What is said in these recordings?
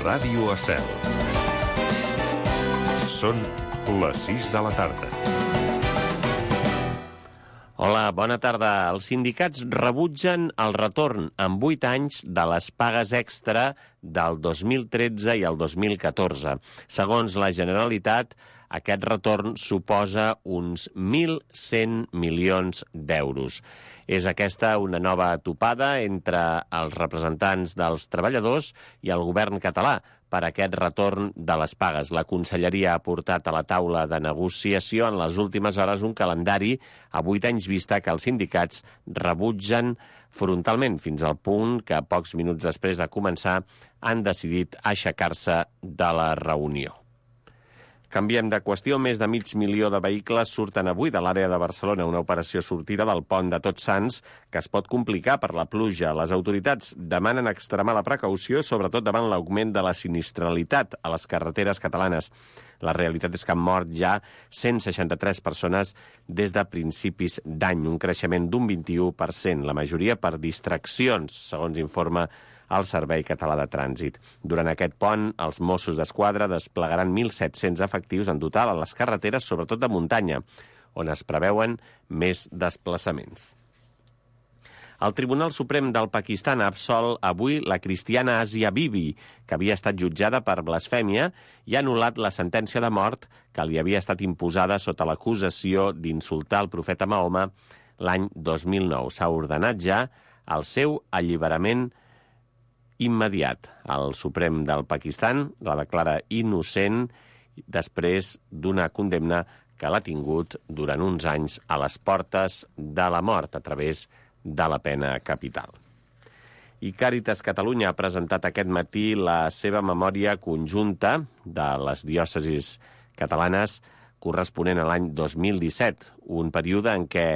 Ràdio Estel. Són les 6 de la tarda. Hola, bona tarda. Els sindicats rebutgen el retorn en 8 anys de les pagues extra del 2013 i el 2014. Segons la Generalitat, aquest retorn suposa uns 1.100 milions d'euros. És aquesta una nova topada entre els representants dels treballadors i el govern català per aquest retorn de les pagues. La Conselleria ha portat a la taula de negociació en les últimes hores un calendari a 8 anys vista que els sindicats rebutgen frontalment, fins al punt que pocs minuts després de començar han decidit aixecar-se de la reunió. Canviem de qüestió. Més de 500.000 de vehicles surten avui de l'àrea de Barcelona, una operació sortida del pont de Tots Sants que es pot complicar per la pluja. Les autoritats demanen extremar la precaució, sobretot davant l'augment de la sinistralitat a les carreteres catalanes. La realitat és que han mort ja 163 persones des de principis d'any, un creixement d'un 21%, la majoria per distraccions, segons informa al Servei Català de Trànsit. Durant aquest pont, els Mossos d'Esquadra desplegaran 1.700 efectius en total a les carreteres, sobretot de muntanya, on es preveuen més desplaçaments. El Tribunal Suprem del Pakistan ha absolt avui la cristiana Asia Bibi, que havia estat jutjada per blasfèmia, i ha anul·lat la sentència de mort que li havia estat imposada sota l'acusació d'insultar el profeta Mahoma l'any 2009. S'ha ordenat ja el seu alliberament immediat. El Suprem del Pakistan la declara innocent després d'una condemna que l'ha tingut durant uns anys a les portes de la mort a través de la pena capital. I Càritas Catalunya ha presentat aquest matí la seva memòria conjunta de les diòcesis catalanes corresponent a l'any 2017, un període en què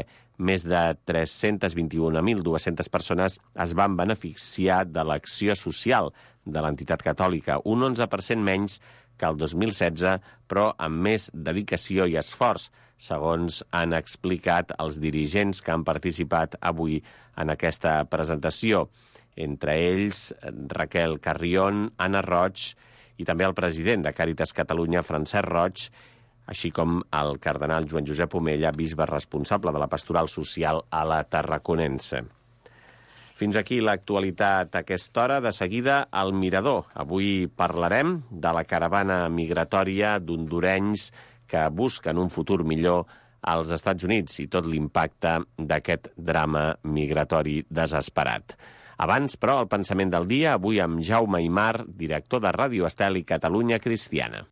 més de 321.200 persones es van beneficiar de l'acció social de l'entitat catòlica, un 11% menys que el 2016, però amb més dedicació i esforç, segons han explicat els dirigents que han participat avui en aquesta presentació. Entre ells, Raquel Carrión, Anna Roig i també el president de Càritas Catalunya, Francesc Roig, així com el cardenal Joan Josep Omella, bisbe responsable de la pastoral social a la Tarraconense. Fins aquí l'actualitat a aquesta hora. De seguida, al Mirador. Avui parlarem de la caravana migratòria d'hondurenys que busquen un futur millor als Estats Units i tot l'impacte d'aquest drama migratori desesperat. Abans, però, el pensament del dia, avui amb Jaume Aymar, director de Ràdio Estel i Catalunya Cristiana.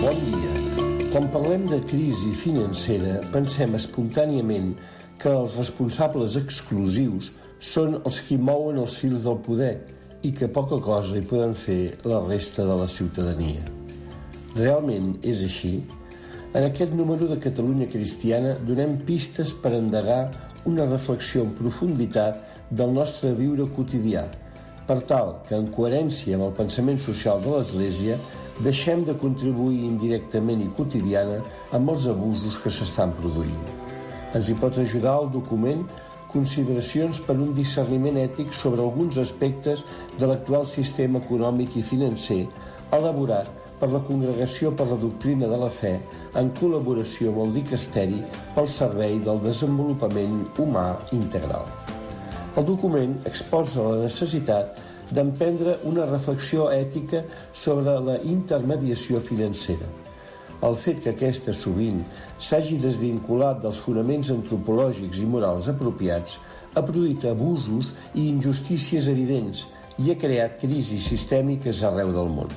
Bon dia. Quan parlem de crisi financera, pensem espontàniament que els responsables exclusius són els qui mouen els fils del poder i que poca cosa hi poden fer la resta de la ciutadania. Realment és així? En aquest número de Catalunya Cristiana donem pistes per endegar una reflexió en profunditat del nostre viure quotidià, per tal que, en coherència amb el pensament social de l'Església, deixem de contribuir indirectament i quotidiana amb els abusos que s'estan produint. Ens hi pot ajudar el document Consideracions per un discerniment ètic sobre alguns aspectes de l'actual sistema econòmic i financer, elaborat per la Congregació per la Doctrina de la Fe en col·laboració amb el Dicasteri pel Servei del Desenvolupament Humà Integral. El document exposa la necessitat d'emprendre una reflexió ètica sobre la intermediació financera. El fet que aquesta sovint s'hagi desvinculat dels fonaments antropològics i morals apropiats ha produït abusos i injustícies evidents i ha creat crisis sistèmiques arreu del món.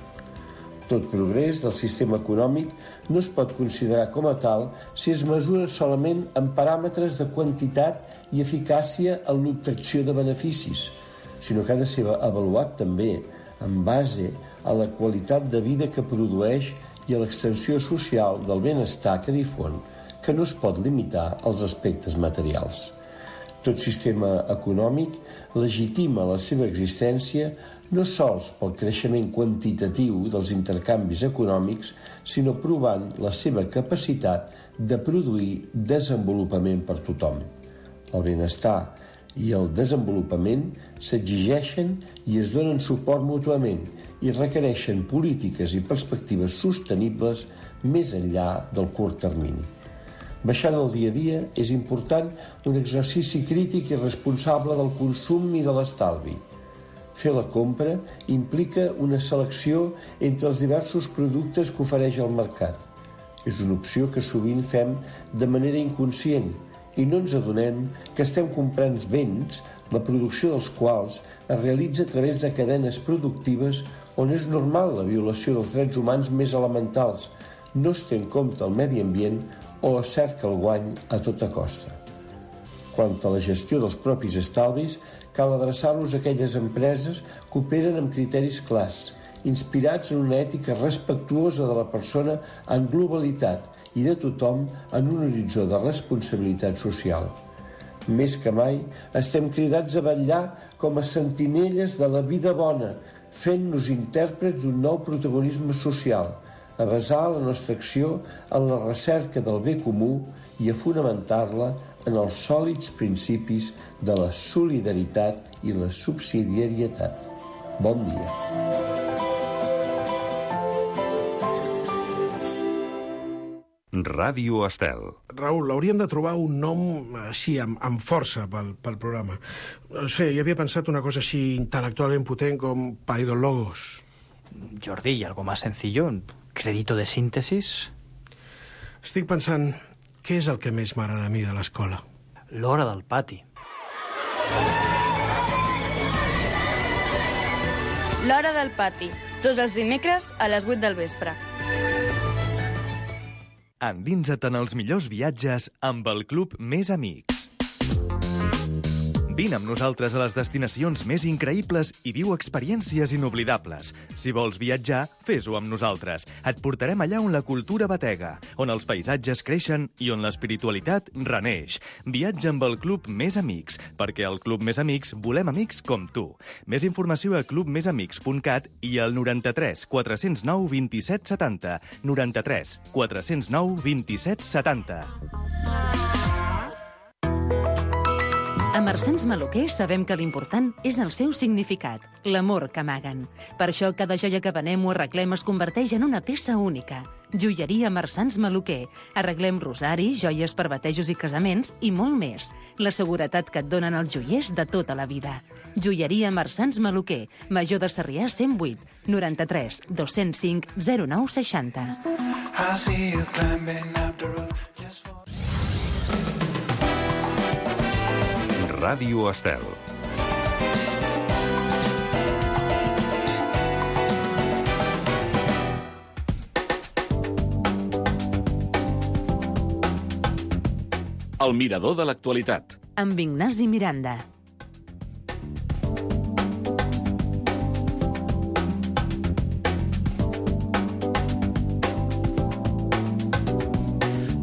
Tot progrés del sistema econòmic no es pot considerar com a tal si es mesura solament en paràmetres de quantitat i eficàcia en l'obtenció de beneficis, sinó que ha de ser avaluat també en base a la qualitat de vida que produeix i a l'extensió social del benestar que difon, que no es pot limitar als aspectes materials. Tot sistema econòmic legitima la seva existència no sols pel creixement quantitatiu dels intercanvis econòmics, sinó provant la seva capacitat de produir desenvolupament per tothom. El benestar i el desenvolupament s'exigeixen i es donen suport mútuament i requereixen polítiques i perspectives sostenibles més enllà del curt termini. Baixant el dia a dia és important un exercici crític i responsable del consum i de l'estalvi. Fer la compra implica una selecció entre els diversos productes que ofereix el mercat. És una opció que sovint fem de manera inconscient i no ens adonem que estem comprant béns, la producció dels quals es realitza a través de cadenes productives on és normal la violació dels drets humans més elementals, no es té en compte el medi ambient o es cerca el guany a tota costa. Quant a la gestió dels propis estalvis, cal adreçar-los a aquelles empreses que operen amb criteris clars, inspirats en una ètica respectuosa de la persona en globalitat i de tothom en un horitzó de responsabilitat social. Més que mai, estem cridats a vetllar com a sentinelles de la vida bona, fent-nos intèrprets d'un nou protagonisme social, a basar la nostra acció en la recerca del bé comú i a fonamentar-la en els sòlids principis de la solidaritat i la subsidiarietat. Bon dia. Ràdio Estel. Raül, hauríem de trobar un nom així, amb força pel programa. No sé, jo havia pensat una cosa així intel·lectualment potent com Paidologos. Jordi, ¿y algo más sencillo? ¿Crédito de síntesis? Estic pensant, què és el que més m'agrada a mi de l'escola? L'hora del pati. L'hora del pati, tots els dimecres a les 8 del vespre. Endinsa't en els millors viatges amb el Club Més Amics. Vine amb nosaltres a les destinacions més increïbles i viu experiències inoblidables. Si vols viatjar, fes-ho amb nosaltres. Et portarem allà on la cultura batega, on els paisatges creixen i on l'espiritualitat reneix. Viatja amb el Club Més Amics, perquè al Club Més Amics volem amics com tu. Més informació a clubmesamics.cat i al 93 409 27 70. 93 409 27 70. A Marsans Maluquer sabem que l'important és el seu significat, l'amor que amaguen. Per això cada joia que venem o arreglem es converteix en una peça única. Joieria Marsans Maluquer. Arreglem rosari, joies per batejos i casaments i molt més. La seguretat que et donen els joiers de tota la vida. Joieria Marsans Maluquer. Major de Sarrià 108 93 205 09 60. Ràdio Estel. El mirador de l'actualitat. Amb Ignasi Miranda.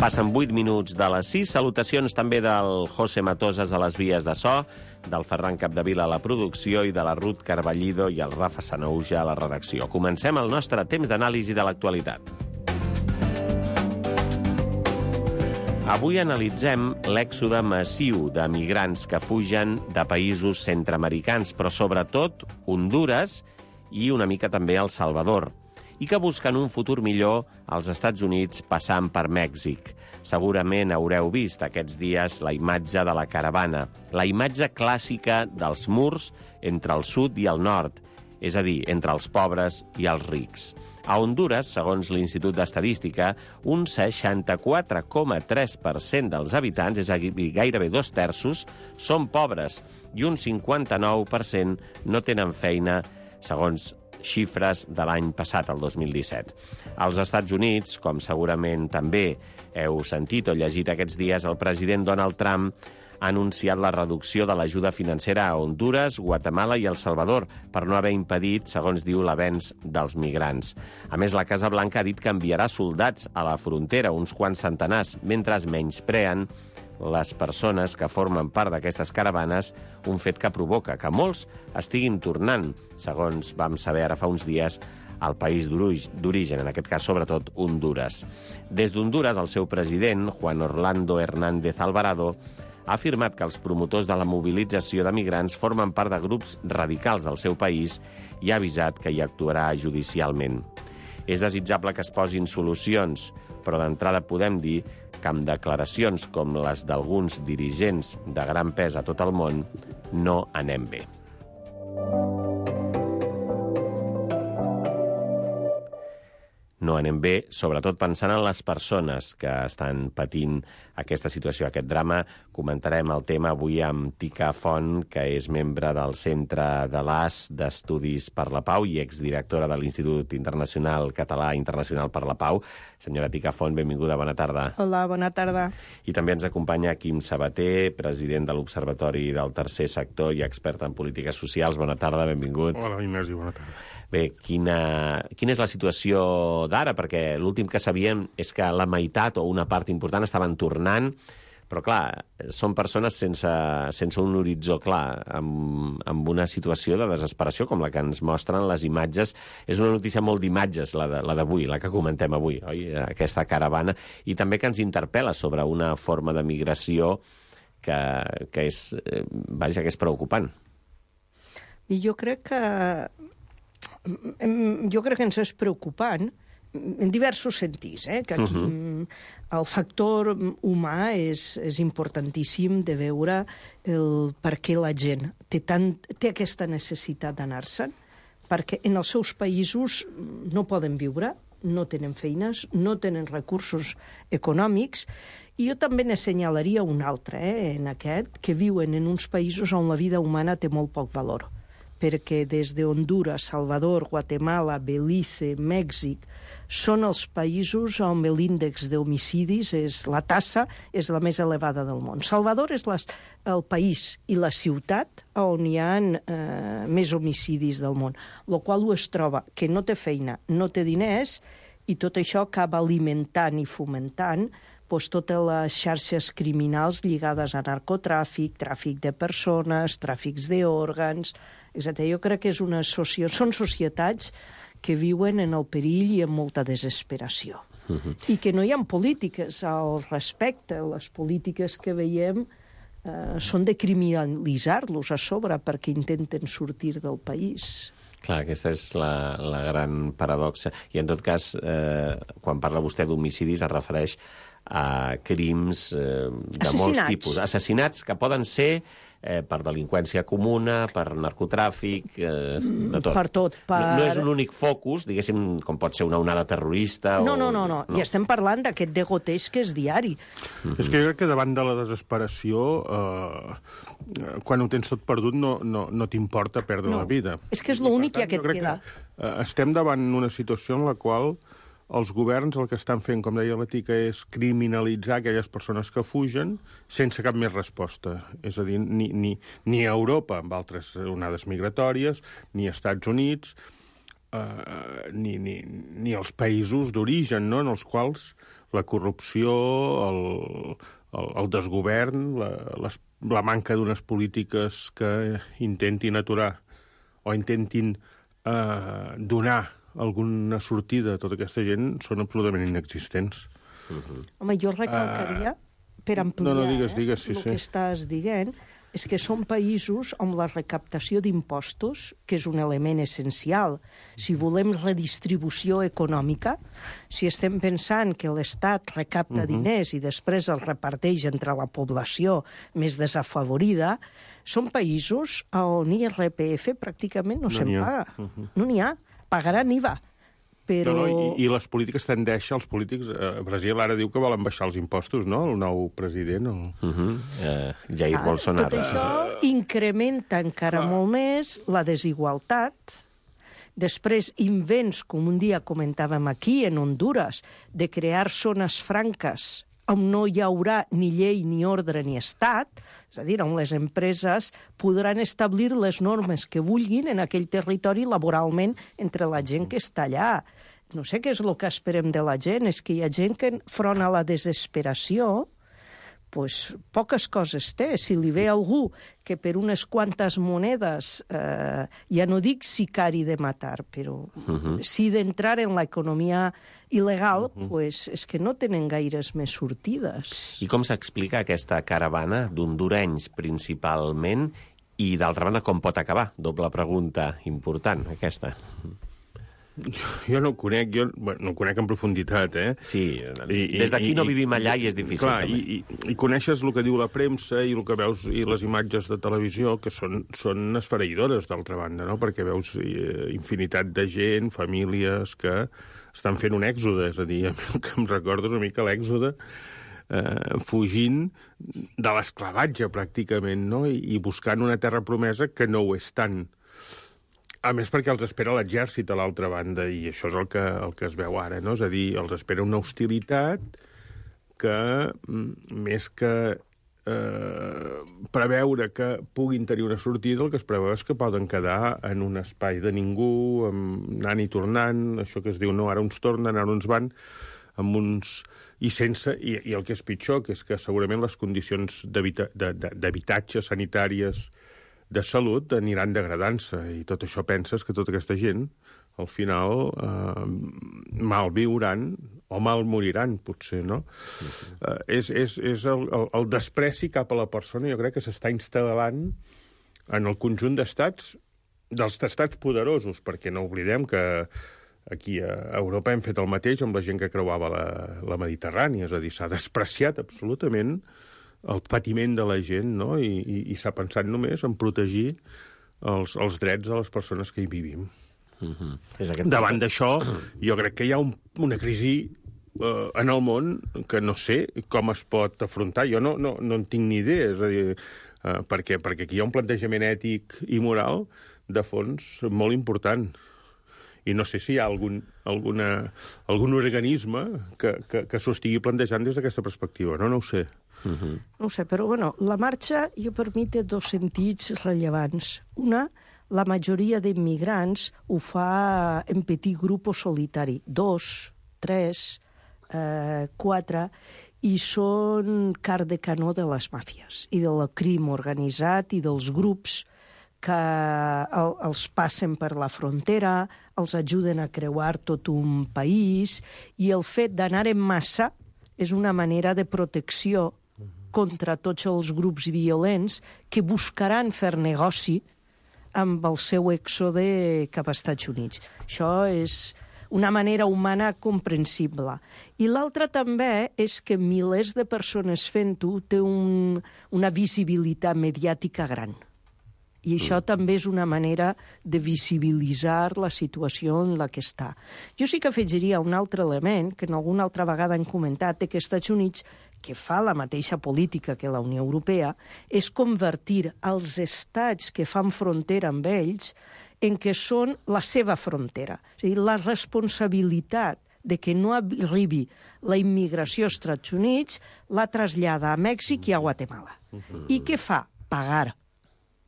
Passen 8 minuts de les 6. Salutacions també del José Matosas a les vies de so, del Ferran Capdevila a la producció i de la Ruth Carballido i el Rafa Sanouja a la redacció. Comencem el nostre temps d'anàlisi de l'actualitat. Avui analitzem l'èxode massiu de migrants que fugen de països centreamericans, però sobretot Hondures i una mica també El Salvador, i que busquen un futur millor als Estats Units passant per Mèxic. Segurament haureu vist aquests dies la imatge de la caravana, la imatge clàssica dels murs entre el sud i el nord, és a dir, entre els pobres i els rics. A Hondures, segons l'Institut d'Estadística, un 64,3% dels habitants, és a dir, gairebé 2/3, són pobres i un 59% no tenen feina, segons xifres de l'any passat, el 2017. Als Estats Units, com segurament també heu sentit o llegit aquests dies, el president Donald Trump ha anunciat la reducció de l'ajuda financera a Hondures, Guatemala i El Salvador per no haver impedit, segons diu, l'avenç dels migrants. A més, la Casa Blanca ha dit que enviarà soldats a la frontera, uns quants centenars, mentre es menyspreen les persones que formen part d'aquestes caravanes, un fet que provoca que molts estiguin tornant, segons vam saber ara fa uns dies, al país d'origen, en aquest cas sobretot Hondures. Des d'Hondures, el seu president, Juan Orlando Hernández Alvarado, ha afirmat que els promotors de la mobilització de migrants formen part de grups radicals del seu país i ha avisat que hi actuarà judicialment. És desitjable que es posin solucions, però d'entrada podem dir que amb declaracions com les d'alguns dirigents de gran pes a tot el món no anem bé. No anem bé, sobretot pensant en les persones que estan patint aquesta situació, aquest drama. Comentarem el tema avui amb Tica Font, que és membre del Centre de l'AS d'Estudis per la Pau i exdirectora de l'Institut Internacional Català Internacional per la Pau. Senyora Tica Font, benvinguda, bona tarda. Hola, bona tarda. I també ens acompanya Quim Sabater, president de l'Observatori del Tercer Sector i expert en polítiques socials. Bona tarda, benvingut. Hola, Ignasi, bona tarda. Bé, quina és la situació d'ara? Perquè l'últim que sabíem és que la meitat o una part important estaven tornant, però clar, són persones sense un horitzó clar, amb una situació de desesperació com la que ens mostren les imatges. És una notícia molt d'imatges, la d'avui, la que comentem avui, oi? Aquesta caravana, i també que ens interpel·la sobre una forma de migració que és preocupant. I jo crec que ens és preocupant en diversos sentits, que aquí el factor humà és importantíssim de veure per què la gent té aquesta necessitat d'anar-se'n, perquè en els seus països no poden viure, no tenen feines, no tenen recursos econòmics, i jo també n'assenyalaria un altre, en aquest, que viuen en uns països on la vida humana té molt poc valor, perquè des de Honduras, Salvador, Guatemala, Belize, Mèxic, són els països on l'índex d'homicidis, la tassa, és la més elevada del món. Salvador és el país i la ciutat on hi ha més homicidis del món, el qual es troba que no té feina, no té diners, i tot això acaba alimentant i fomentant totes les xarxes criminals lligades a narcotràfic, tràfic de persones, tràfics d'òrgans, etc. Jo crec que són societats que viuen en el perill i en molta desesperació. I que no hi ha polítiques al respecte. Les polítiques que veiem són de criminalitzar-los a sobre perquè intenten sortir del país. Clar, aquesta és la gran paradoxa. I en tot cas, quan parla vostè d'homicidis, es refereix a crims de molts tipus. Assassinats que poden ser per delinqüència comuna, per narcotràfic, de tot. Per tot. No és un únic focus, diguéssim, com pot ser una onada terrorista. No. I estem parlant d'aquest degoteig que és diari. És que jo crec que davant de la desesperació, quan ho tens tot perdut, no t'importa perdre la vida. És que és l'únic que et queda. Estem davant una situació en la qual els governs el que estan fent, com deia la Tica, és criminalitzar aquelles persones que fugen sense cap més resposta. És a dir, ni a Europa, amb altres onades migratòries, ni als Estats Units, ni als països d'origen, no?, en els quals la corrupció, el desgovern, la manca d'unes polítiques que intentin aturar o intentin donar alguna sortida a tota aquesta gent són absolutament inexistents. Home, jo recalcaria, per ampliar digues, el que estàs dient, és que són països on la recaptació d'impostos, que és un element essencial, si volem redistribució econòmica, si estem pensant que l'Estat recapta diners i després els reparteix entre la població més desafavorida, són països on IRPF pràcticament no se'n paga. No n'hi ha. Pagaran IVA, però... I les polítiques tendeixen, els polítics... Brasil ara diu que volen baixar els impostos, no?, el nou president. Jair Bolsonaro. Tot això incrementa encara molt més la desigualtat. Després, invents, com un dia comentàvem aquí, en Honduras, de crear zones franques on no hi haurà ni llei, ni ordre, ni estat, és a dir, on les empreses podran establir les normes que vulguin en aquell territori laboralment entre la gent que està allà. No sé què és el que esperem de la gent, és que hi ha gent que, front a la desesperació, poques coses té. Si li ve algú que per unes quantes monedes, ja no dic sicari de matar, però sí d'entrar en l'economia il·legal, és que no tenen gaires més sortides. I com s'explica aquesta caravana d'hondurenys principalment i, d'altra banda, com pot acabar? Doble pregunta important, aquesta. Jo no ho conec, no ho conec en profunditat, Sí, des d'aquí no vivim allà i és difícil. Clar, i coneixes el que diu la premsa i el que veus i les imatges de televisió, que són esfereïdores, d'altra banda, no? Perquè veus infinitat de gent, famílies que estan fent un èxode, és a dir, el que em recordo és una mica l'èxode, fugint de l'esclavatge, pràcticament, no? I buscant una terra promesa que no ho és tant. A més, perquè els espera l'exèrcit a l'altra banda, i això és el que es veu ara, no? És a dir, els espera una hostilitat que, més que preveure que puguin tenir una sortida, el que es preveu és que poden quedar en un espai de ningú, anant i tornant, això que es diu, no, ara uns tornen, ara uns van, amb uns... I el que és pitjor, que és que segurament les condicions d'habitatge sanitàries de salut aniran degradant-se, i tot això penses que tota aquesta gent, al final, mal viuran o mal moriran, potser, no? És el despreci cap a la persona, jo crec que s'està instal·lant en el conjunt d'estats, dels estats poderosos, perquè no oblidem que aquí a Europa hem fet el mateix amb la gent que creuava la Mediterrània, és a dir, s'ha despreciat absolutament el patiment de la gent, no? I s'ha pensat només en protegir els drets de les persones que hi vivim. Davant d'això, jo crec que hi ha una crisi en el món que no sé com es pot afrontar. Jo no en tinc ni idea, és a dir, perquè aquí hi ha un plantejament ètic i moral de fons molt important. I no sé si hi ha algun organisme que s'ho estigui plantejant des d'aquesta perspectiva. No ho sé. No ho sé, però la marxa, per mi, té dos sentits rellevants. Una, la majoria d'immigrants ho fa en petit grup o solitari. 2, 3, 4, i són car de canó de les màfies i del crim organitzat i dels grups que els passen per la frontera, els ajuden a creuar tot un país, i el fet d'anar en massa és una manera de protecció contra tots els grups violents que buscaran fer negoci amb el seu èxode cap als Estats Units. Això és una manera humana comprensible. I l'altra també és que milers de persones fent-ho té una visibilitat mediàtica gran. I això també és una manera de visibilitzar la situació en la que està. Jo sí que afegiria un altre element, que en alguna altra vegada han comentat, que els Estats Units, que fa la mateixa política que la Unió Europea, és convertir els estats que fan frontera amb ells en què són la seva frontera. És a dir, la responsabilitat de que no arribi la immigració als Estats Units la trasllada a Mèxic i a Guatemala. I què fa? Pagar.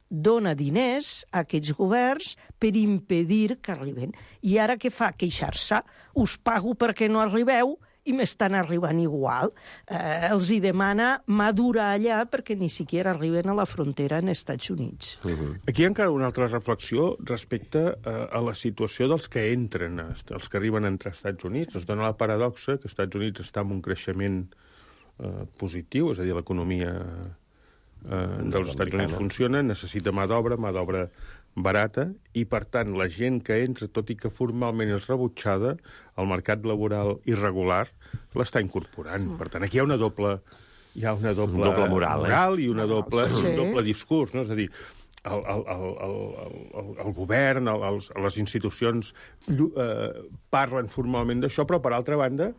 Dona diners a aquests governs per impedir que arriben. I ara què fa? Queixar-se. Us pago perquè no arribeu i m'estan arribant igual. Els hi demana mà dura allà perquè ni siquiera arriben a la frontera en Estats Units. Aquí hi ha encara una altra reflexió respecte a la situació dels que entren, els que arriben entre Estats Units. Es dona la paradoxa que Estats Units està en un creixement positiu, és a dir, l'economia dels Estats Units funciona, necessita mà d'obra barata, i, per tant, la gent que entra, tot i que formalment és rebutjada, el mercat laboral irregular l'està incorporant. Per tant, aquí hi ha una doble moral i un doble discurs, no? És a dir, el govern, les institucions parlen formalment d'això, però, per altra banda,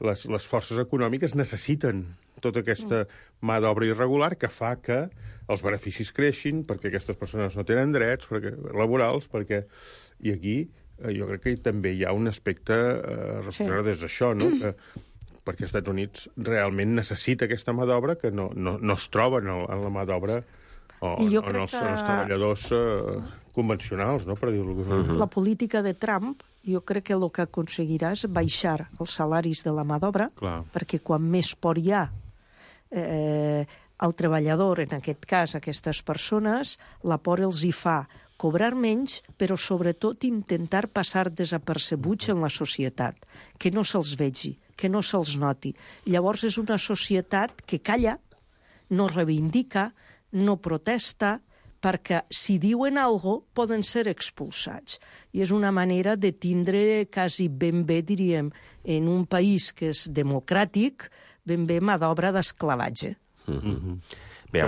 les forces econòmiques necessiten tota aquesta mà d'obra irregular que fa que els beneficis creixin, perquè aquestes persones no tenen drets laborals, i aquí jo crec que també hi ha un aspecte reflexionat des d'això, no? Perquè els Estats Units realment necessita aquesta mà d'obra que no es troba en la mà d'obra o en els treballadors convencionals, no? Per dir-ho d'alguna manera. La política de Trump, jo crec que el que aconseguirà és baixar els salaris de la mà d'obra, perquè quan més por hi ha, al treballador, en aquest cas, aquestes persones, la por els hi fa cobrar menys, però sobretot intentar passar desapercebuts en la societat, que no se'ls vegi, que no se'ls noti. Llavors és una societat que calla, no reivindica, no protesta, perquè si diuen alguna cosa poden ser expulsats. I és una manera de tindre quasi ben bé, diríem, en un país que és democràtic, ben bé mà d'obra d'esclavatge. Bé,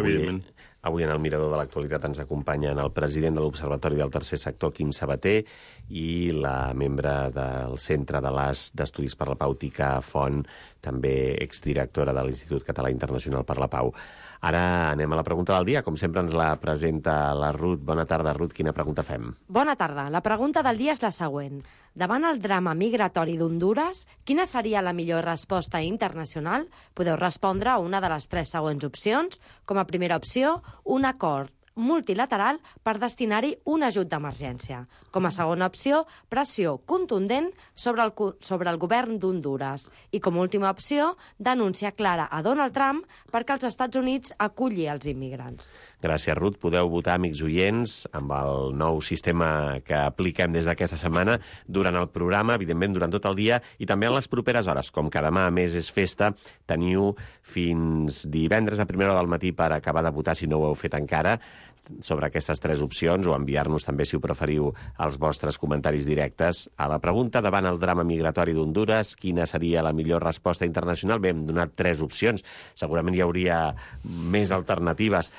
avui en el Mirador de l'Actualitat ens acompanyen el president de l'Observatori del Tercer Sector, Quim Sabater, i la membre del Centre de l'AS d'Estudis per la Pau, Tica Font, també exdirectora de l'Institut Català Internacional per la Pau. Ara anem a la pregunta del dia. Com sempre ens la presenta la Ruth. Bona tarda, Ruth. Quina pregunta fem? Bona tarda. La pregunta del dia és la següent. Davant el drama migratori d'Hondures, quina seria la millor resposta internacional? Podeu respondre a una de les 3 següents opcions. Com a primera opció, un acord multilateral per destinar-hi un ajut d'emergència. Com a segona opció, pressió contundent sobre el govern d'Hondures. I com a última opció, denúncia clara a Donald Trump perquè els Estats Units aculli els immigrants. Gràcies, Ruth. Podeu votar, amics oients, amb el nou sistema que apliquem des d'aquesta setmana durant el programa, evidentment durant tot el dia, i també en les properes hores. Com que demà a més és festa, teniu fins divendres a primera hora del matí per acabar de votar, si no ho heu fet encara, sobre aquestes 3 opcions, o enviar-nos també, si ho preferiu, els vostres comentaris directes a la pregunta. Davant el drama migratori d'Hondures, quina seria la millor resposta internacional? Bé, hem donat 3 opcions. Segurament hi hauria més alternatives.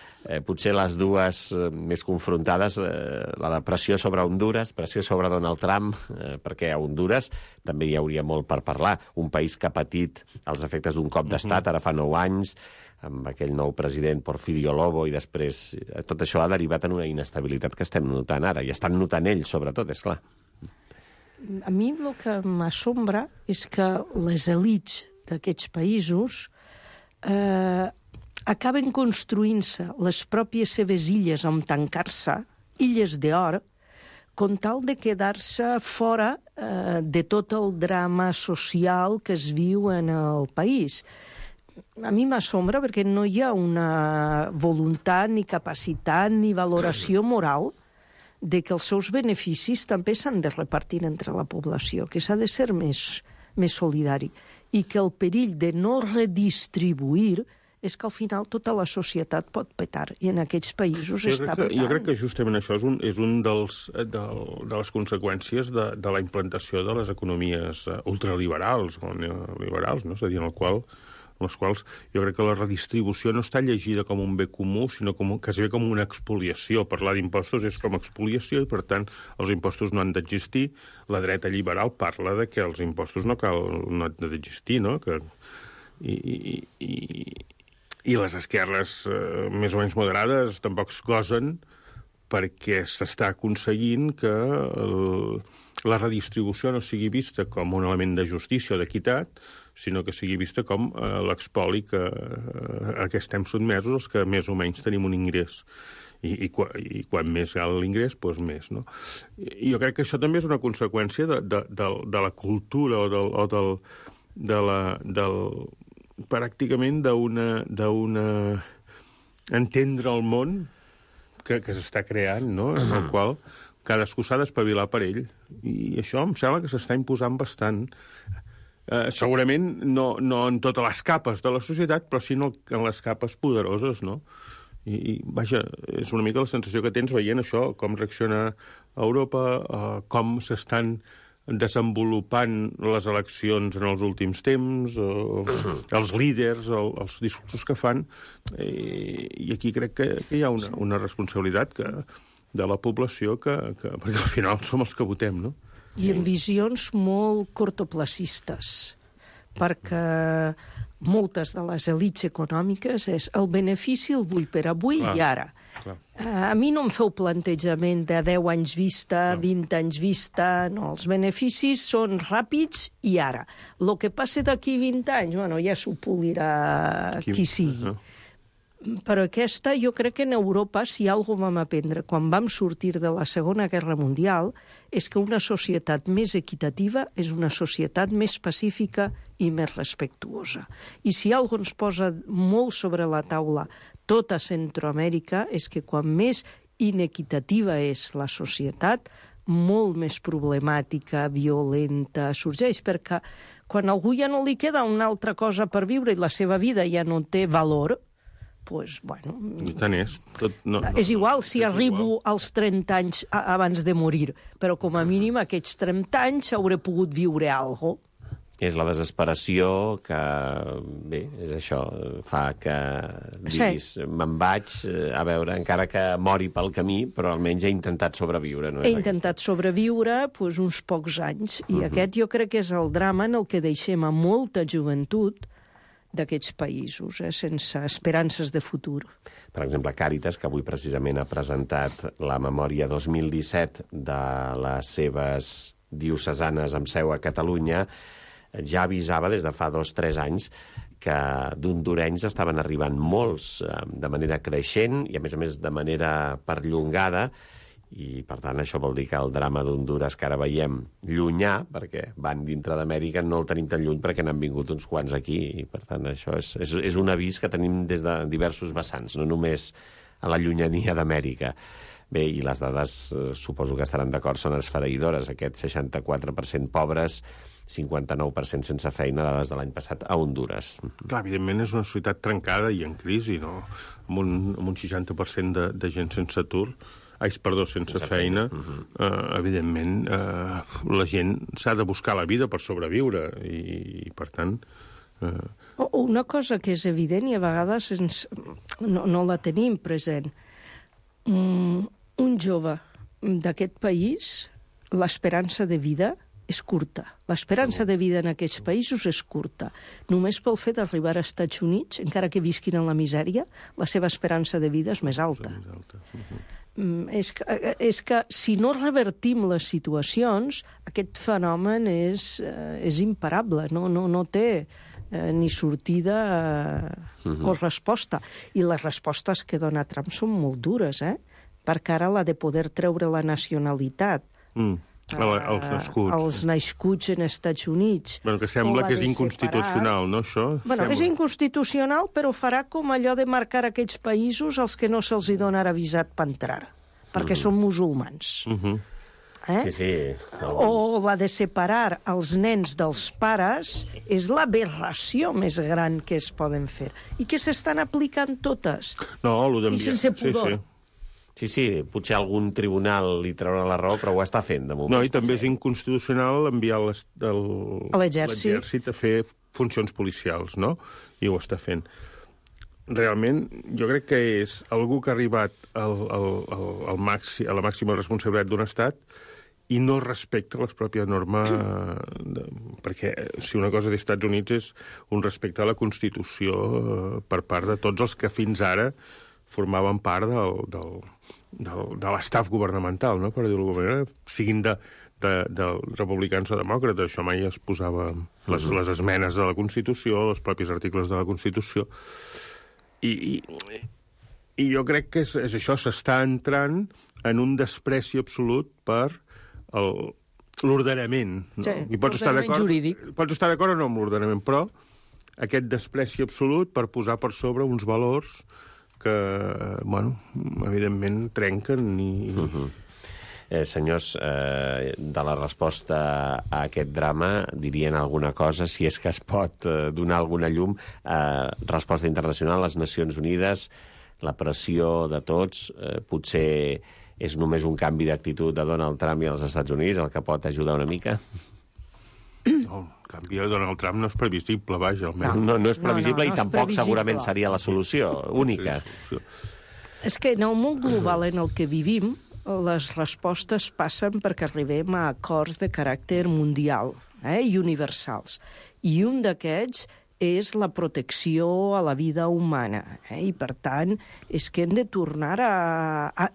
Potser les dues més confrontades, la de pressió sobre Hondures, pressió sobre Donald Trump, perquè a Hondures també hi hauria molt per parlar. Un país que ha patit els efectes d'un cop d'estat, ara fa 9 anys, amb aquell nou president Porfirio Lobo, i després tot això ha derivat en una inestabilitat que estem notant ara, i estan notant ells, sobretot, és clar. A mi el que m'assombra és que les elits d'aquests països acaben construint-se les pròpies seves illes on tancar-se, illes d'or, con tal de quedar-se fora de tot el drama social que es viu en el país. A mi m'assombra perquè no hi ha una voluntat, ni capacitat, ni valoració moral de que els seus beneficis també s'han de repartir entre la població, que s'ha de ser més solidari, i que el perill de no redistribuir és que al final tota la societat pot petar, i en aquests països està petant. Jo crec que justament això és un de les conseqüències de la implantació de les economies ultraliberals o neoliberals, no? És a dir, en les quals jo crec que la redistribució no està llegida com un bé comú, sinó quasi com una expoliació. Parlar d'impostos és com expoliació i, per tant, els impostos no han d'existir. La dreta liberal parla de que els impostos no han d'existir, no? I les esquerres més o menys moderades tampoc es gosen perquè s'està aconseguint que la redistribució no sigui vista com un element de justícia o d'equitat, sinó que sigui vista com l'expoli a què estem sotmesos els que més o menys tenim un ingrés. I quan més alt l'ingrés, doncs més, no? I jo crec que això també és una conseqüència de la cultura pràcticament d'una entendre el món que s'està creant, no? En el qual cadascú s'ha d'espavilar per ell. I això em sembla que s'està imposant bastant. Segurament no en totes les capes de la societat, però sí en les capes poderoses, no? I vaja, és una mica la sensació que tens veient això, com reacciona Europa, com s'estan desenvolupant les eleccions en els últims temps, els líders, els discursos que fan, i aquí crec que hi ha una responsabilitat de la població, perquè al final som els que votem, no? I en visions molt cortoplacistes, perquè moltes de les elits econòmiques és el benefici el vull per avui i ara. A mi no em feu plantejament de 10 anys vista, 20 anys vista, no, els beneficis són ràpids i ara. El que passi d'aquí 20 anys, bueno, ja s'ho polirà qui sigui. Però aquesta, jo crec que en Europa, si alguna cosa vam aprendre quan vam sortir de la Segona Guerra Mundial, és que una societat més equitativa és una societat més pacífica i més respectuosa. I si alguna cosa ens posa molt sobre la taula tota Centroamèrica és que quan més inequitativa és la societat, molt més problemàtica, violenta sorgeix, perquè quan a algú ja no li queda una altra cosa per viure i la seva vida ja no té valor, doncs, bueno... I tant és. És igual si arribo als 30 anys abans de morir, però com a mínim aquests 30 anys hauré pogut viure alguna cosa. És la desesperació que, bé, és això, fa que diguis, me'n vaig, a veure, encara que mori pel camí, però almenys he intentat sobreviure. No? He intentat sobreviure uns pocs anys, i aquest jo crec que és el drama en el que deixem a molta joventut d'aquests països, sense esperances de futur. Per exemple, Càritas, que avui precisament ha presentat la memòria 2017 de les seves diocesanes amb seu a Catalunya, ja avisava des de fa 2 o 3 anys que d'hondurenys estaven arribant molts de manera creixent i, a més, de manera perllongada, i, per tant, això vol dir que el drama d'Hondures que ara veiem llunyà, perquè van dintre d'Amèrica, no el tenim tan lluny perquè n'han vingut uns quants aquí, i, per tant, això és un avís que tenim des de diversos vessants, no només a la llunyania d'Amèrica. Bé, i les dades, suposo que estaran d'acord, són esfereïdores. Aquest 64% pobres, 59% sense feina, dades de l'any passat a Hondures. Clar, evidentment és una societat trencada i en crisi, no? Amb un 60% de gent sense atur, sense feina. Evidentment, la gent s'ha de buscar la vida per sobreviure i per tant... Una cosa que és evident i a vegades no la tenim present. Un jove d'aquest país, l'esperança de vida és curta. L'esperança de vida en aquests països és curta. Només pel fet d'arribar als Estats Units, encara que visquin en la misèria, la seva esperança de vida és més alta. És que si no revertim les situacions, aquest fenomen és imparable, no té ni sortida o resposta. I les respostes que dona Trump són molt dures, perquè ara l'ha de poder treure la nacionalitat als nascuts en Estats Units. Bueno, que sembla que és inconstitucional, no, això? Bueno, és inconstitucional, però farà com allò de marcar aquells països als que no se'ls donarà visat per entrar, perquè són musulmans. Sí. O la de separar els nens dels pares és l'aberració més gran que es poden fer i que s'estan aplicant totes. No, i sense pudor. Sí, potser algun tribunal li traurà la raó, però ho està fent, de moment. No, i també és inconstitucional enviar l'exèrcit a fer funcions policials, no? I ho està fent. Realment, jo crec que és algú que ha arribat a la màxima responsabilitat d'un estat i no respecta les pròpies normes, perquè si una cosa dels Estats Units és un respecte a la Constitució per part de tots els que fins ara formaven part de l'estaf governamental, no? Per dir-ho d'alguna manera, siguin de republicans o demòcrates. Això mai es posava les esmenes de la Constitució, els propis articles de la Constitució. I jo crec que és això, s'està entrant en un despreci absolut per l'ordenament. No? Sí, l'ordenament jurídic. Pots estar d'acord o no amb l'ordenament, però aquest despreci absolut per posar per sobre uns valors que, bueno, evidentment trenquen i... Senyors, de la resposta a aquest drama, dirien alguna cosa, si és que es pot donar alguna llum. Resposta internacional, les Nacions Unides, la pressió de tots, potser és només un canvi d'actitud de Donald Trump i els Estats Units el que pot ajudar una mica? No, el canvi de Donald Trump no és previsible, vaja, almenys. No és previsible i tampoc segurament seria la solució única. És que en el món global en el que vivim, les respostes passen perquè arribem a acords de caràcter mundial i universals. I un d'aquests és la protecció a la vida humana. I, per tant, és que hem de tornar a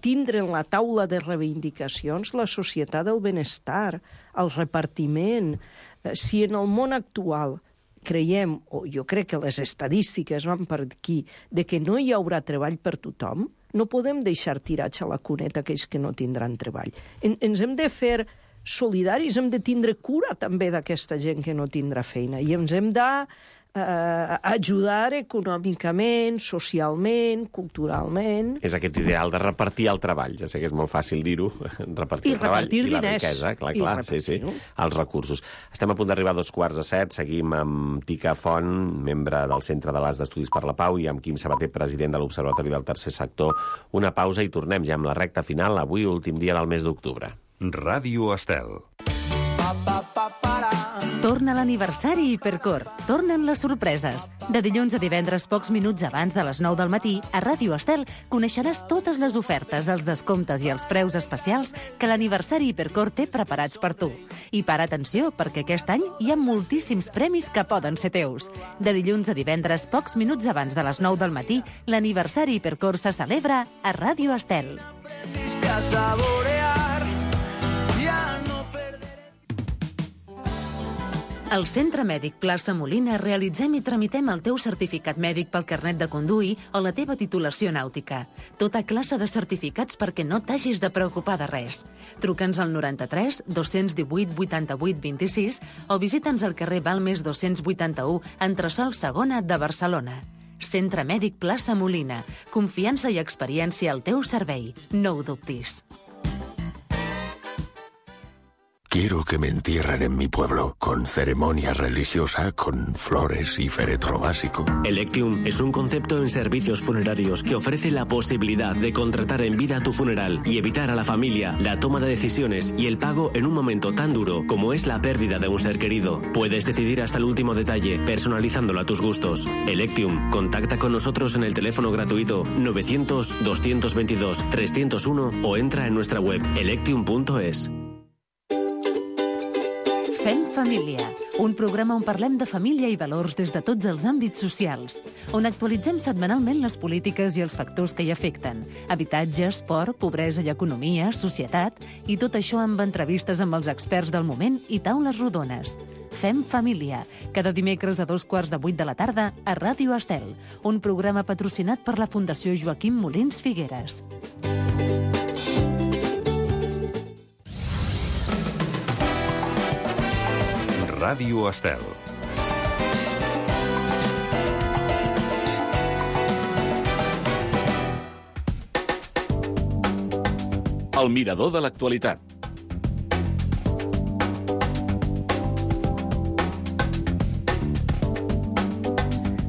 tindre en la taula de reivindicacions la societat del benestar, el repartiment. Si en el món actual creiem, o jo crec que les estadístiques van per aquí, de que no hi haurà treball per tothom, no podem deixar tirats a la cuneta aquells que no tindran treball. Ens hem de fer solidaris, hem de tindre cura també d'aquesta gent que no tindrà feina i ens hem de ajudar econòmicament, socialment, culturalment. És aquest ideal de repartir el treball. Ja sé que és molt fàcil dir-ho, repartir el treball i la riquesa, clar, sí, els recursos. Estem a punt d'arribar a 6:45, seguim amb Tica Font, membre del Centre de l'As d'Estudis per la Pau, i amb Quim Sabater, president de l'Observatori del Tercer Sector. Una pausa i tornem ja amb la recta final, avui, últim dia del mes d'octubre. Ràdio Estel. Torna l'aniversari Hipercor. Tornen les sorpreses. De dilluns a divendres, pocs minuts abans de les 9 del matí, a Ràdio Estel coneixeràs totes les ofertes, els descomptes i els preus especials que l'aniversari Hipercor té preparats per tu. I para atenció, perquè aquest any hi ha moltíssims premis que poden ser teus. De dilluns a divendres, pocs minuts abans de les 9 del matí, l'aniversari Hipercor se celebra a Ràdio Estel. Al Centre Mèdic Plaça Molina realitzem i tramitem el teu certificat mèdic pel carnet de conduir o la teva titulació nàutica. Tota classe de certificats perquè no t'hagis de preocupar de res. Truca'ns al 93 218 88 26 o visita'ns al carrer Balmes 281, entresòl Segona de Barcelona. Centre Mèdic Plaça Molina. Confiança i experiència al teu servei. No ho dubtis. Quiero que me entierren en mi pueblo, con ceremonia religiosa, con flores y féretro básico. Electium es un concepto en servicios funerarios que ofrece la posibilidad de contratar en vida tu funeral y evitar a la familia la toma de decisiones y el pago en un momento tan duro como es la pérdida de un ser querido. Puedes decidir hasta el último detalle, personalizándolo a tus gustos. Electium, contacta con nosotros en el teléfono gratuito 900-222-301 o entra en nuestra web electium.es. Fem Família, un programa on parlem de família i valors des de tots els àmbits socials, on actualitzem setmanalment les polítiques i els factors que hi afecten, habitatge, esport, pobresa i economia, societat, i tot això amb entrevistes amb els experts del moment i taules rodones. Fem Família, cada dimecres a 7:15 de la tarda a Ràdio Estel, un programa patrocinat per la Fundació Joaquim Molins Figueres. Ràdio Estel. El mirador de l'actualitat.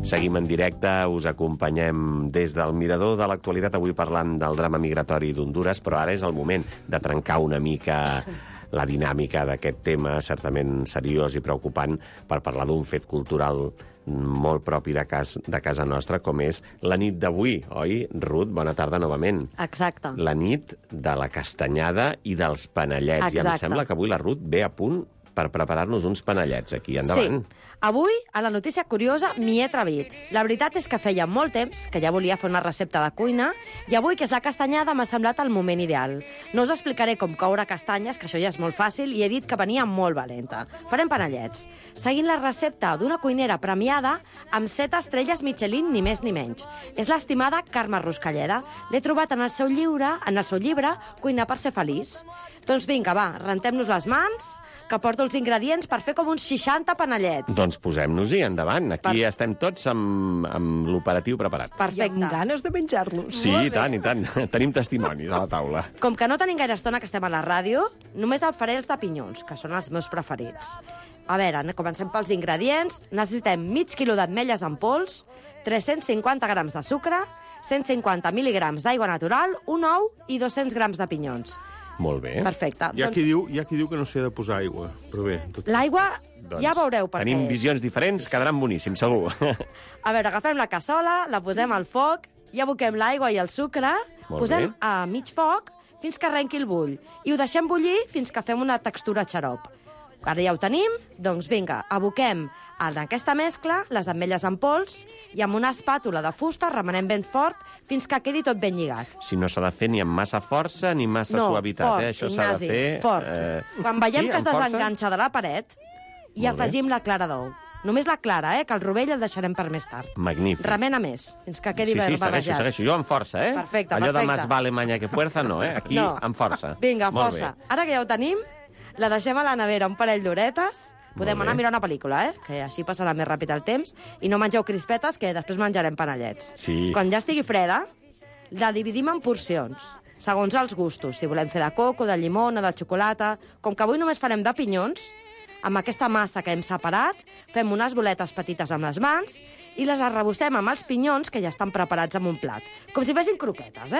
Seguim en directe, us acompanyem des del mirador de l'actualitat, avui parlant del drama migratori d'Hondures, però ara és el moment de trencar una mica la dinàmica d'aquest tema, certament seriós i preocupant, per parlar d'un fet cultural molt propi de casa nostra, com és la nit d'avui, oi? Ruth, bona tarda novament. Exacte. La nit de la castanyada i dels panellets. Exacte. I em sembla que avui la Ruth ve a punt per preparar-nos uns panellets aquí. Endavant. Sí. Avui, a la notícia curiosa, m'hi he atrevit. La veritat és que feia molt temps que ja volia fer una recepta de cuina i avui, que és la castanyada, m'ha semblat el moment ideal. No us explicaré com coure castanyes, que això ja és molt fàcil, i he dit que venia molt valenta. Farem panellets. Seguint la recepta d'una cuinera premiada amb 7 estrelles Michelin, ni més ni menys. És l'estimada Carme Ruscalleda. L'he trobat en el seu llibre Cuinar per ser feliç. Doncs vinga, va, rentem-nos les mans, que porto els ingredients per fer com uns 60 panellets. Doncs posem-nos-hi, endavant. Aquí estem tots amb l'operatiu preparat. Perfecte. I amb ganes de menjar-los. Sí, i tant, i tant. Tenim testimonis a la taula. Com que no tenim gaire estona que estem a la ràdio, només el faré els de pinyons, que són els meus preferits. A veure, comencem pels ingredients. Necessitem mig quilo d'ametlles en pols, 350 grams de sucre, 150 mil·ligrams d'aigua natural, un ou i 200 grams de pinyons. Molt bé. Perfecte. Hi ha qui diu que no s'hi ha de posar aigua, però bé. L'aigua, ja veureu per què tenim visions diferents, quedaran boníssims, segur. A veure, agafem la cassola, la posem al foc, i aboquem l'aigua i el sucre, posem a mig foc fins que arrenqui el bull, i ho deixem bullir fins que fem una textura xarop. Ara ja ho tenim, doncs vinga, aboquem en aquesta mescla les ametlles en pols i amb una espàtula de fusta remenem ben fort fins que quedi tot ben lligat. Si no s'ha de fer ni amb massa força ni massa suavitat, fort, això s'ha de fer... fort. Quan veiem que es desenganxa de la paret, hi afegim la clara d'ou. Només la clara, que el rovell el deixarem per més tard. Magnífic. Remena més, fins que quedi barrejat. Sí, segueixo. Jo amb força, Perfecte, Allò de más vale maña que fuerza, no, Aquí amb força. Vinga, força. Ara que ja ho tenim, La deixem a la nevera un parell d'horetes. Podem anar a mirar una pel·lícula, que així passarà més ràpid el temps. I no mengeu crispetes, que després menjarem panellets. Sí. Quan ja estigui freda, la dividim en porcions, segons els gustos. Si volem fer de coco, de llimona, de xocolata... Com que avui només farem de pinyons, amb aquesta massa que hem separat, fem unes boletes petites amb les mans i les arrebossem amb els pinyons que ja estan preparats en un plat. Com si fessin croquetes,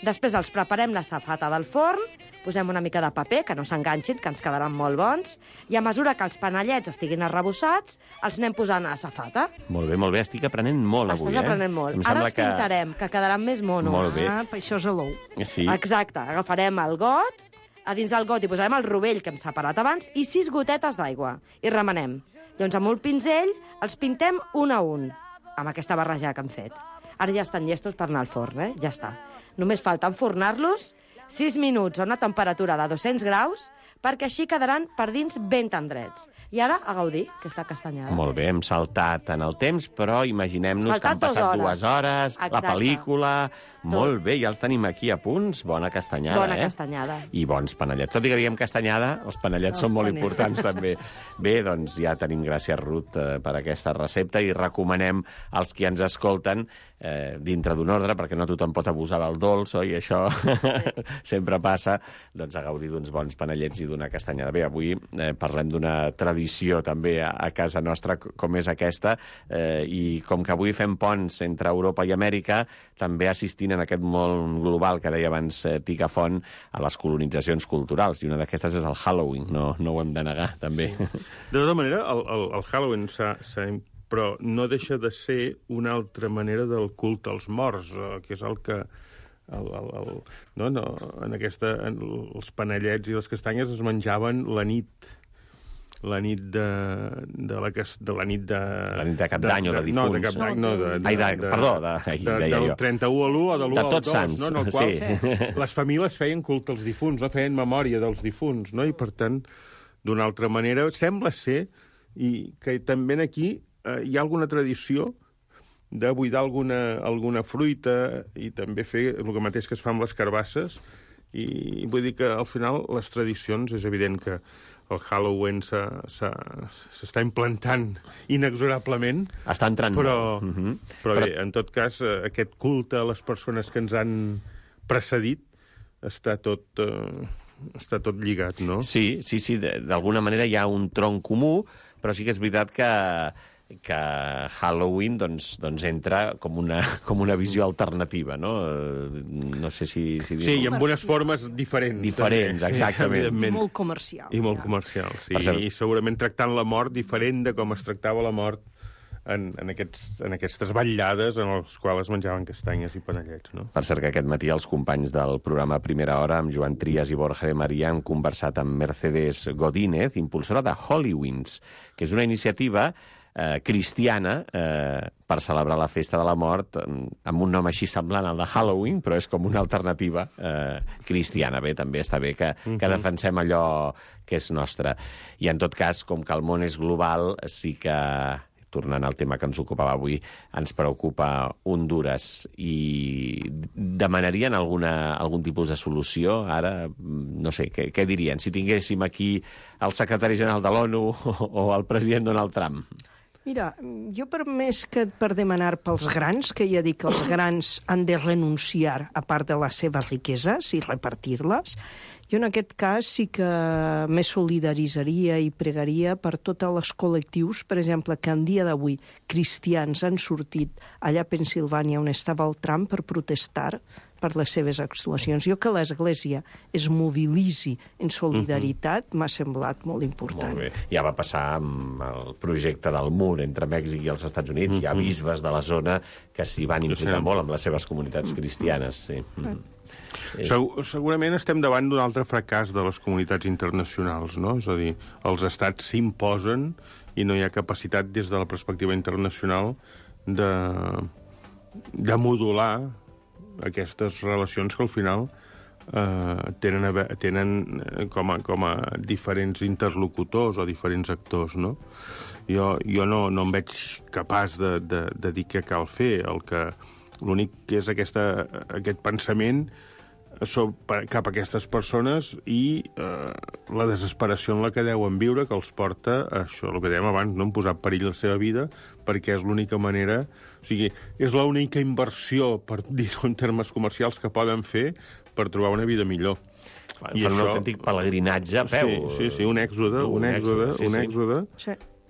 Després els preparem la safata del forn, posem una mica de paper, que no s'enganxin, que ens quedaran molt bons, i a mesura que els panellets estiguin arrebossats, els anem posant a la safata. Molt bé, estic aprenent molt avui, Estàs aprenent molt. Ara els pintarem, que quedaran més monos. Molt bé. Per això és a l'ou. Sí. Exacte, agafarem el got, a dins del got hi posarem el rovell que hem separat abans i 6 gotetes d'aigua, i remenem. Llavors, amb un pinzell, els pintem un a un, amb aquesta barreja que hem fet. Ara ja estan llestos per anar al forn, ja està. Només falta enfornar-los 6 minuts a una temperatura de 200 graus perquè així quedaran per dins ben tendrets. I ara a gaudir, que està castanyada. Molt bé, hem saltat en el temps, però imaginem-nos que han passat 2 hores, exacte. La pel·lícula... Molt bé, ja els tenim aquí a punts. Bona castanyada, Bona castanyada. I bons panellets. Tot i que diguem castanyada, els panellets són molt importants, també. Bé, doncs ja tenim gràcies, Ruth, per aquesta recepta i recomanem als qui ens escolten dintre d'un ordre, perquè no tothom pot abusar del dolç, oi? Això sempre passa, doncs a gaudir d'uns bons panellets i d'una castanyada. Bé, avui parlem d'una tradició també a casa nostra, com és aquesta, i com que avui fem ponts entre Europa i Amèrica, també assistint en aquest món global que deia abans Tica Font a les colonitzacions culturals, i una d'aquestes és el Halloween, no ho hem de negar, també. De tota manera, el Halloween però no deixa de ser una altra manera del culte als morts, que és el que els panellets i les castanyes es menjaven la nit la nit de Cap d'Any o de difunts. No, de Cap d'Any, no. Perdó, del 31 a l'1 o de l'1 al 2. Sants, no? En el qual les famílies feien culte als difunts, no? Feien memòria dels difunts, no? I, per tant, d'una altra manera, sembla ser que també aquí hi ha alguna tradició de buidar alguna fruita i també fer el mateix que es fa amb les carbasses. I vull dir que, al final, les tradicions, és evident que el Halloween s'està implantant inexorablement. Està entrant però, molt. Però bé, en tot cas, aquest culte a les persones que ens han precedit està tot lligat, no? Sí, d'alguna manera hi ha un tronc comú, però sí que és veritat que Halloween doncs entra com una visió alternativa, no? No sé si sí, i amb unes formes diferents. Diferents, exactament. I molt comercial. I molt comercial, sí. I segurament tractant la mort diferent de com es tractava la mort en aquestes vetllades en les quals es menjaven castanyes i panellets, no? Per cert, que aquest matí els companys del programa Primera Hora, amb Joan Trias i Borja de Maria, han conversat amb Mercedes Godínez, impulsora de Halloween's, que és una iniciativa cristiana per celebrar la festa de la mort amb un nom així semblant al de Halloween, però és com una alternativa cristiana. Bé, també està bé que defensem allò que és nostre. I en tot cas, com que el món és global, sí que, tornant al tema que ens ocupava avui, ens preocupa Hondures i demanarien algun tipus de solució ara? No sé, què dirien? Si tinguéssim aquí el secretari general de l'ONU o el president Donald Trump? Mira, jo més que per demanar pels grans, que ja dic que els grans han de renunciar a part de les seves riqueses i repartir-les, jo en aquest cas sí que me solidaritzaria i pregaria per tots els col·lectius, per exemple, que en dia d'avui cristians han sortit allà a Pensilvània on estava el Trump per protestar per les seves actuacions. Jo que l'Església es mobilitzi en solidaritat m'ha semblat molt important. Molt bé. Ja va passar amb el projecte del mur entre Mèxic i els Estats Units. Hi ha bisbes de la zona que s'hi van implicar molt amb les seves comunitats cristianes. Sí. Segurament estem davant d'un altre fracàs de les comunitats internacionals, no? És a dir, els estats s'imposen i no hi ha capacitat des de la perspectiva internacional de modular aquestes relacions que al final tenen com a diferents interlocutors o diferents actors, no? Jo no em veig capaç de dir què cal fer. L'únic que és aquest pensament cap a aquestes persones i la desesperació en la que deuen viure, que els porta a això, el que dèiem abans, no? En posar en perill la seva vida, perquè és l'única manera... O sigui, és l'única inversió, per dir-ho en termes comercials, que poden fer per trobar una vida millor. Fan un autèntic pelegrinatge a peu. Sí, un èxode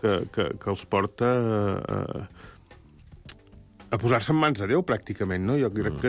que els porta a posar-se en mans de Déu, pràcticament, no? Jo crec que